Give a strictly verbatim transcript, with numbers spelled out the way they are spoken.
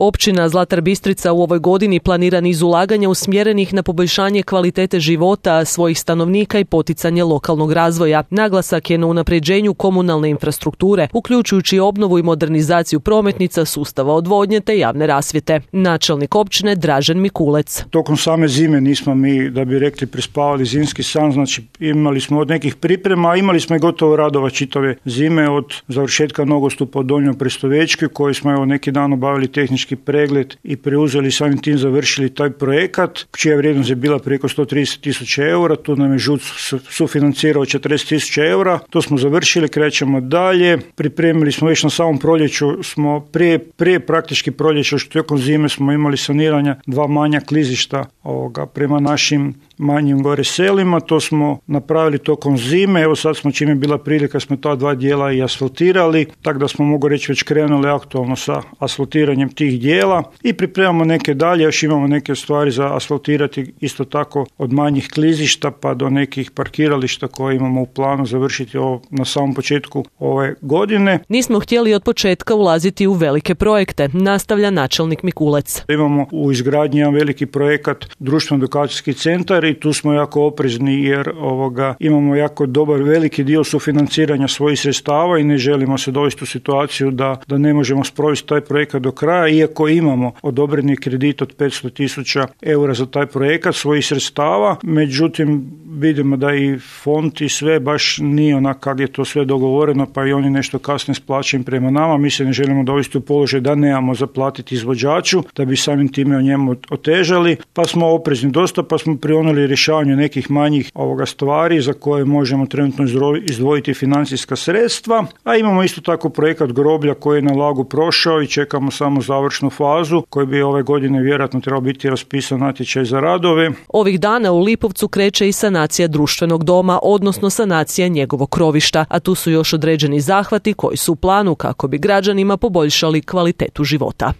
Općina Zlatar Bistrica u ovoj godini planira niz ulaganja usmjerenih na poboljšanje kvalitete života svojih stanovnika i poticanje lokalnog razvoja. Naglasak je na unapređenju komunalne infrastrukture, uključujući obnovu i modernizaciju prometnica, sustava odvodnje te javne rasvjete. Načelnik općine Dražen Mikulec. Tokom same zime nismo mi, da bi rekli, prespavali zimski san, znači imali smo od nekih priprema, a imali smo i gotovo radova čitave zime od završetka nogostupa od Donjoj Prestovečki, koji smo evo neki dan obavili tehnički pregled i preuzeli, samim tim završili taj projekat, čija vrijednost je bila preko sto trideset tisuća eura, tu nam je ŽUC sufinancirao četrdeset tisuća eura, to smo završili, krećemo dalje, pripremili smo već na samom proljeću, smo prije, prije praktički proljeća, što tokom zime smo imali saniranja dva manja klizišta ovoga, prema našim manjim gore selima, to smo napravili tokom zime, evo sad smo, čim je bila prilika, smo ta dva dijela i asfaltirali, tako da smo, mogu reći, već krenuli aktualno sa asfaltiranjem tih dijela i pripremamo neke dalje, još imamo neke stvari za asfaltirati, isto tako od manjih klizišta pa do nekih parkirališta koje imamo u planu završiti ovo na samom početku ove godine. Nismo htjeli od početka ulaziti u velike projekte, nastavlja načelnik Mikulec. Imamo u izgradnji jedan veliki projekat društveno-edukacijski centar i tu smo jako oprezni jer ovoga, imamo jako dobar veliki dio sufinanciranja svojih sredstava i ne želimo se dovesti u situaciju da, da ne možemo sprovesti taj projekat do kraja, iako imamo odobreni kredit od petsto tisuća eura za taj projekat svojih sredstava, međutim vidimo da i fond i sve baš nije onak kako je to sve dogovoreno, pa i oni nešto kasnije s plaćanjem prema nama. Mi se ne želimo dovesti u položaj da nemamo zaplatiti izvođaču, da bi samim time o njemu otežali, pa smo oprezni dosta, pa smo prionuli rješavanju nekih manjih ovoga stvari za koje možemo trenutno izdvojiti financijska sredstva, a imamo isto tako projekat groblja koji je na Lagu prošao i čekamo samo završnu fazu koji bi ove godine vjerojatno trebao biti raspisan natječaj za radove. Ovih dana u Lipovcu kreće i sanacija društvenog doma, odnosno sanacija njegovog krovišta, a tu su još određeni zahvati koji su u planu kako bi građanima poboljšali kvalitetu života.